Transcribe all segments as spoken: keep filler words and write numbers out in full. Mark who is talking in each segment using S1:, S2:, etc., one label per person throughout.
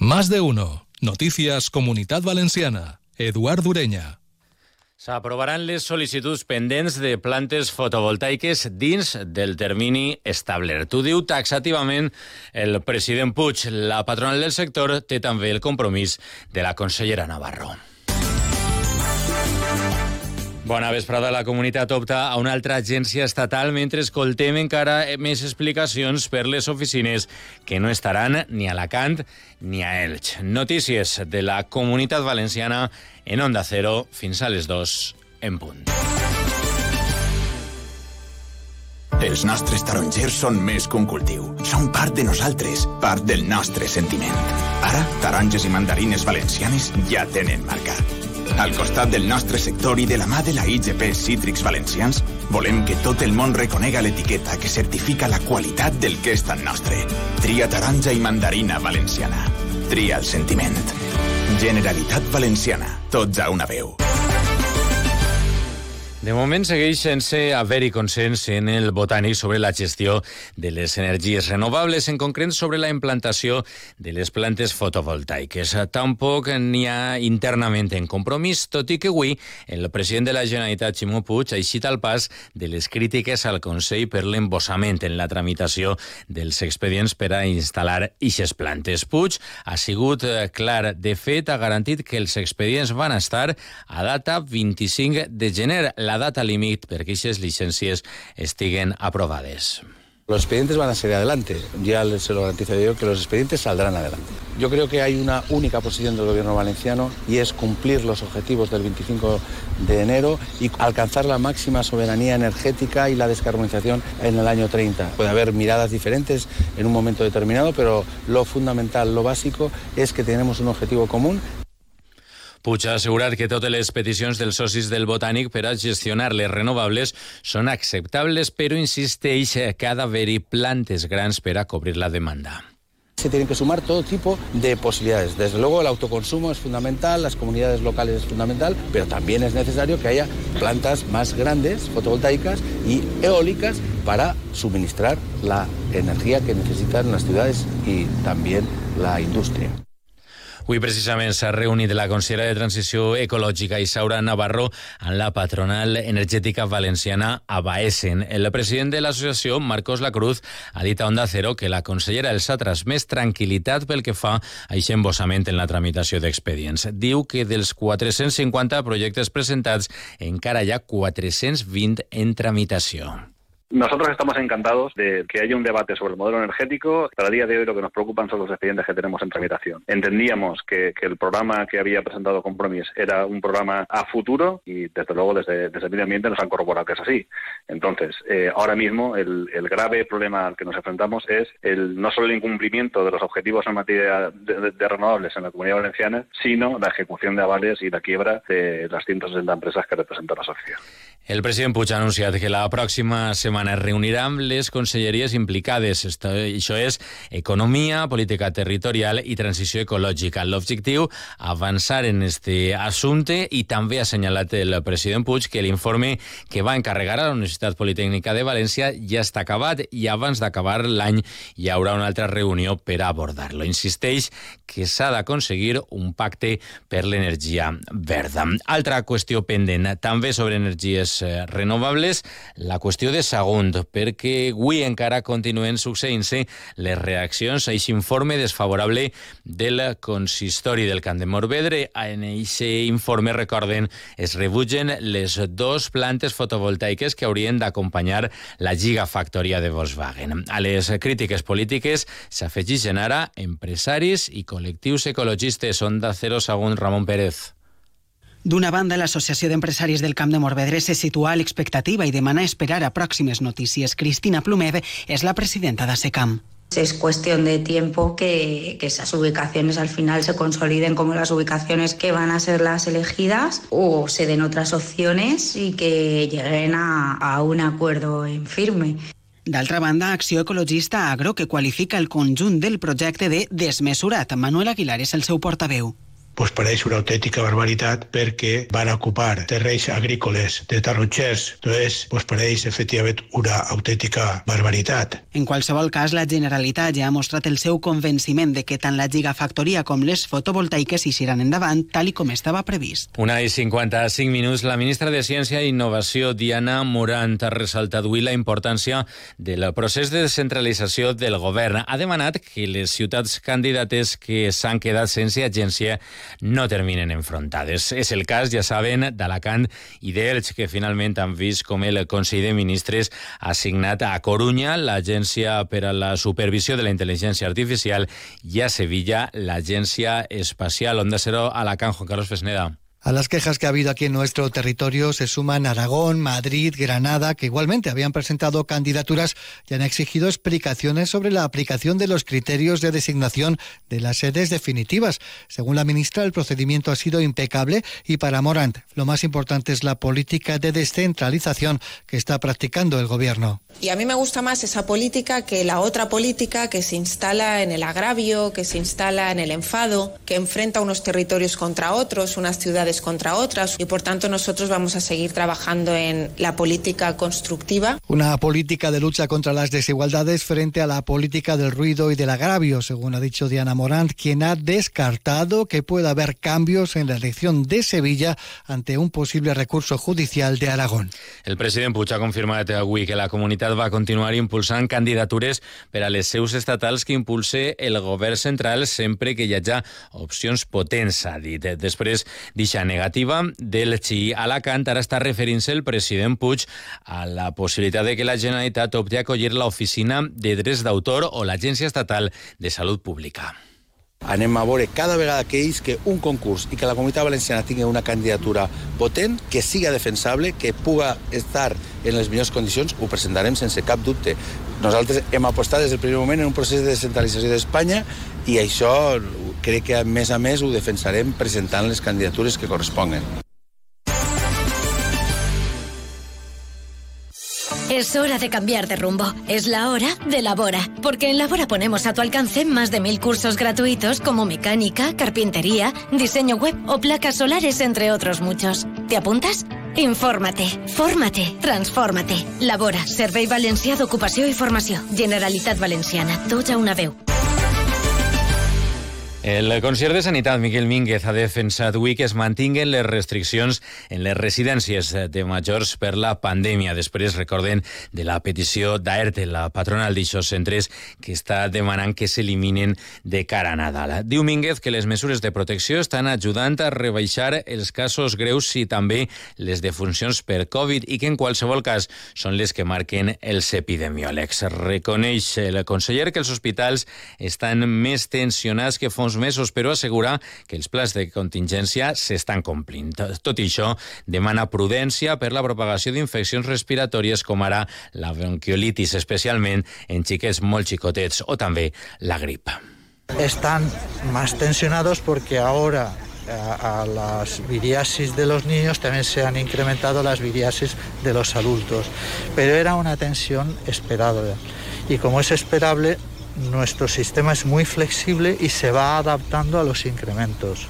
S1: Más de uno. Noticias Comunitat Valenciana. Eduard Ureña.
S2: S'aprovaran les sol·licituds pendents de plantes fotovoltaiques dins del termini establert. Ho diu taxativament el president Puig. La patronal del sector té també el compromís de la consellera Navarro. Bona vesprada. La comunitat opta a una altra agència estatal mentre escoltem encara més explicacions per les oficines que no estaran ni a Alacant ni a Elx. Notícies de la Comunitat Valenciana en Onda Cero fins a les dos en punt.
S3: Els nostres tarongers són més que un cultiu. Són part de nosaltres, part del nostre sentiment. Ara, taronges i mandarines valencianes ja tenen marca. Al costat del nostre sector i de la mà de la I G P Cítrics Valencians, volem que tot el món reconega l'etiqueta que certifica la qualitat del que és tan nostre. Tria taronja i mandarina valenciana. Tria el sentiment. Generalitat Valenciana. Tots a una veu.
S2: De moment segueix sense haver-hi consens en el Botànic sobre la gestió de les energies renovables, en concret sobre la implantació de les plantes fotovoltaiques. Tampoc n'hi ha internament en compromís, tot i que avui el president de la Generalitat, Ximo Puig, ha eixit al pas de les crítiques al Consell per l'embossament en la tramitació dels expedients per a instal·lar ixes plantes. Puig ha sigut clar. De fet, ha garantit que els expedients van estar a data vint-i-cinc de gener, la data límit perquè aquestes licencias estiguen aprobades.
S4: Los expedientes van a salir adelante. Ya se lo garantizo yo que los expedientes saldrán adelante. Yo creo que hay una única posición del gobierno valenciano y es cumplir los objetivos del veinticinco de enero y alcanzar la máxima soberanía energética y la descarbonización en el año treinta. Puede haber miradas diferentes en un momento determinado, pero lo fundamental, lo básico, es que tenemos un objetivo común.
S2: Puig ha assegurat que totes les peticions dels socis del Botànic per a gestionar les renovables són acceptables, però insisteix que ha d'haver-hi plantes grans per a cobrir la demanda.
S4: Se tienen que sumar todo tipo de posibilidades. Desde luego el autoconsumo es fundamental, las comunidades locales es fundamental, pero también es necesario que haya plantas más grandes, fotovoltaicas y eólicas, para suministrar la energía que necesitan las ciudades y también la industria.
S2: Avui precisament s'ha reunit la consellera de Transició Ecològica Isaura Navarro amb la patronal energètica valenciana Abaesen. El president de l'associació, Marcos Lacruz, ha dit a Onda Cero que la consellera els ha transmès tranquil·litat pel que fa a aquest embossament en la tramitació d'expedients. Diu que dels quatre-cents cinquanta projectes presentats encara hi ha quatre-cents vint en tramitació.
S5: Nosotros estamos encantados de que haya un debate sobre el modelo energético. Para el día de hoy lo que nos preocupan son los expedientes que tenemos en tramitación. Entendíamos que, que el programa que había presentado Compromís era un programa a futuro y desde luego desde, desde el medio ambiente nos han corroborado que es así. Entonces, eh, ahora mismo el, el grave problema al que nos enfrentamos es el, no solo el incumplimiento de los objetivos en materia de, de, de renovables en la Comunidad Valenciana, sino la ejecución de avales y la quiebra de las ciento sesenta empresas que representa la asociación.
S2: El president Puig ha anunciat que la pròxima setmana es reunirà amb les conselleries implicades. Això és Economia, Política Territorial i Transició Ecològica. L'objectiu, avançar en este assumpte, i també ha assenyalat el president Puig que l'informe que va encarregar a la Universitat Politècnica de València ja està acabat i abans d'acabar l'any hi haurà una altra reunió per abordar-lo. Insisteix que s'ha d'aconseguir un pacte per l'energia verda. Altra qüestió pendent, també sobre energies renovables, la qüestió de Sagunt, perquè avui encara continuen succeint-se les reaccions a aquest informe desfavorable del consistori del Camp de Morvedre. En aquest informe, recorden, es rebutgen les dues plantes fotovoltaiques que haurien d'acompanyar la gigafactoria de Volkswagen. A les crítiques polítiques s'afegeixen ara empresaris i col·lectius ecologistes. Onda Cero, Sagunt, Ramon Pérez.
S6: D'una banda, l'Associació d'Empresaris del Camp de Morvedre se situa a l'expectativa i demana esperar a pròximes notícies. Cristina Plumed és la presidenta d'ASECAM.
S7: Es cuestión de tiempo que, que esas ubicaciones al final se consoliden como las ubicaciones que van a ser las elegidas o se den otras opciones y que lleguen a, a un acuerdo en firme.
S6: D'altra banda, Acció Ecologista Agro, que qualifica el conjunt del projecte de desmesurat. Manuel Aguilar és el seu portaveu.
S8: pues pareix una autèntica barbaritat perquè van ocupar terrenys agrícoles de tarongers. Entonces, pues pareix efectivament una autèntica barbaritat.
S6: En qualsevol cas, la Generalitat ja ha mostrat el seu convenciment de que tant la gigafactoria com les fotovoltaiques iran endavant, tal i com estava previst.
S2: Una i cinquanta-cinc minuts. La ministra de Ciència i Innovació, Diana Morant, ha ressaltat avui la importància del procés de descentralització del govern. Ha demanat que les ciutats candidates que s'han quedat sense agència no terminen enfrontades. És el cas, ja saben, d'Alacant i d'Elx, que finalment han vist com el Consell de Ministres ha assignat a Corunya l'Agència per a la Supervisió de la Intel·ligència Artificial i a Sevilla l'Agència Espacial. Onda Cero, Alacant, Juan Carlos Fesneda.
S9: A las quejas que ha habido aquí en nuestro territorio se suman Aragón, Madrid, Granada, que igualmente habían presentado candidaturas y han exigido explicaciones sobre la aplicación de los criterios de designación de las sedes definitivas. Según la ministra, el procedimiento ha sido impecable y para Morant lo más importante es la política de descentralización que está practicando el gobierno.
S10: Y a mí me gusta más esa política que la otra política que se instala en el agravio, que se instala en el enfado, que enfrenta unos territorios contra otros, unas ciudades contra otras, y por tanto nosotros vamos a seguir trabajando en la política constructiva.
S9: Una política de lucha contra las desigualdades frente a la política del ruido y del agravio, según ha dicho Diana Morant, quien ha descartado que pueda haber cambios en la elección de Sevilla ante un posible recurso judicial de Aragón.
S2: El president Puig ha confirmat avui que la comunitat va continuar impulsant candidatures per a les seus estatals que impulse el govern central sempre que hi hagi opcions potents, ha dit. Després d'eixa negativa del Xi Alacant, ara està referint-se el president Puig a la possibilitat de que la Generalitat opti a acollir l'Oficina de Drets d'Autor o l'Agència Estatal de Salut Pública.
S4: Anem a veure cada vegada que ells que un concurs i que la Comunitat Valenciana tingui una candidatura potent, que siga defensable, que puga estar en les millors condicions, ho presentarem sense cap dubte. Nosaltres hem apostat des del primer moment en un procés de descentralització d'Espanya i això crec que a més a més ho defensarem presentant les candidatures que corresponguen.
S11: Es hora de cambiar de rumbo. Es la hora de Labora. Porque en Labora ponemos a tu alcance más de mil cursos gratuitos como mecánica, carpintería, diseño web o placas solares, entre otros muchos. ¿Te apuntas? Infórmate, fórmate, transfórmate. Labora, Servei Valencià d'Ocupació i Formació. Generalitat Valenciana, tots a una veu.
S2: El conseller de Sanitat, Miquel Mínguez, ha defensat avui que es mantinguen les restriccions en les residències de majors per la pandèmia. Després, recorden, de la petició d'AERTE, la patronal d'aixòs centres, que està demanant que s'eliminen de cara a Nadal. Diu Mínguez que les mesures de protecció estan ajudant a rebaixar els casos greus i també les defuncions per Covid i que en qualsevol cas són les que marquen els epidemiòlegs. Reconeix el conseller que els hospitals estan més tensionats que fa uns mesos, però assegura que els plans de contingència s'estan complint. Tot i això, demana prudència per la propagació d'infeccions respiratòries com ara la bronquiolitis, especialment en xiquets molt xicotets, o també la grip.
S12: Están más tensionados porque ahora a, a las viriasis de los niños también se han incrementado las viriasis de los adultos, pero era una tensión esperada y como es esperable, nuestro sistema es muy flexible y se va adaptando a los incrementos.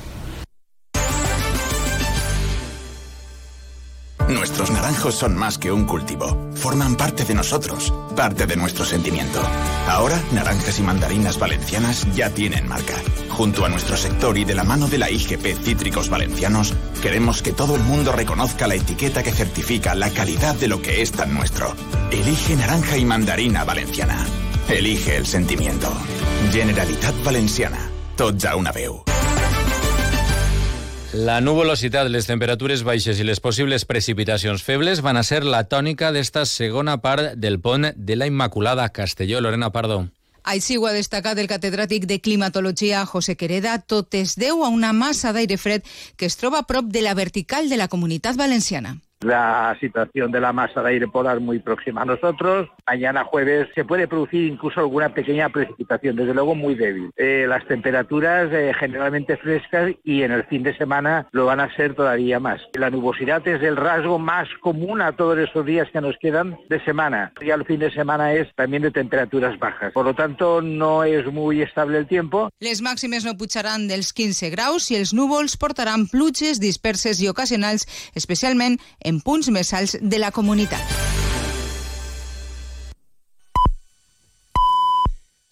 S3: Nuestros naranjos son más que un cultivo. Forman parte de nosotros, parte de nuestro sentimiento. Ahora, Naranjas y Mandarinas Valencianas ya tienen marca. Junto a nuestro sector y de la mano de la I G P Cítricos Valencianos, queremos que todo el mundo reconozca la etiqueta que certifica la calidad de lo que es tan nuestro. Elige Naranja y Mandarina Valenciana. Elige el sentimiento. Generalitat Valenciana. Tots a una veu.
S2: La nuvolositat, les temperatures baixes i les possibles precipitacions febles van a ser la tònica d'esta segona part del pont de la Immaculada. Castelló, Lorena Pardo.
S13: Així ho ha destacat el catedràtic de climatologia José Quereda. Tot es deu a una massa d'aire fred que es troba a prop de la vertical de la Comunitat Valenciana.
S14: La situación de la masa de aire polar muy próxima a nosotros. Mañana jueves se puede producir incluso alguna pequeña precipitación, desde luego muy débil. Eh, las temperaturas eh, generalmente frescas y en el fin de semana lo van a ser todavía más. La nubosidad es el rasgo más común a todos esos días que nos quedan de semana. Y al fin de semana es también de temperaturas bajas. Por lo tanto, no es muy estable el tiempo.
S13: Les màximes no pujaran dels quinze graus i els núvols portaran pluges disperses i ocasionals, especialment en punts més alts de la comunitat.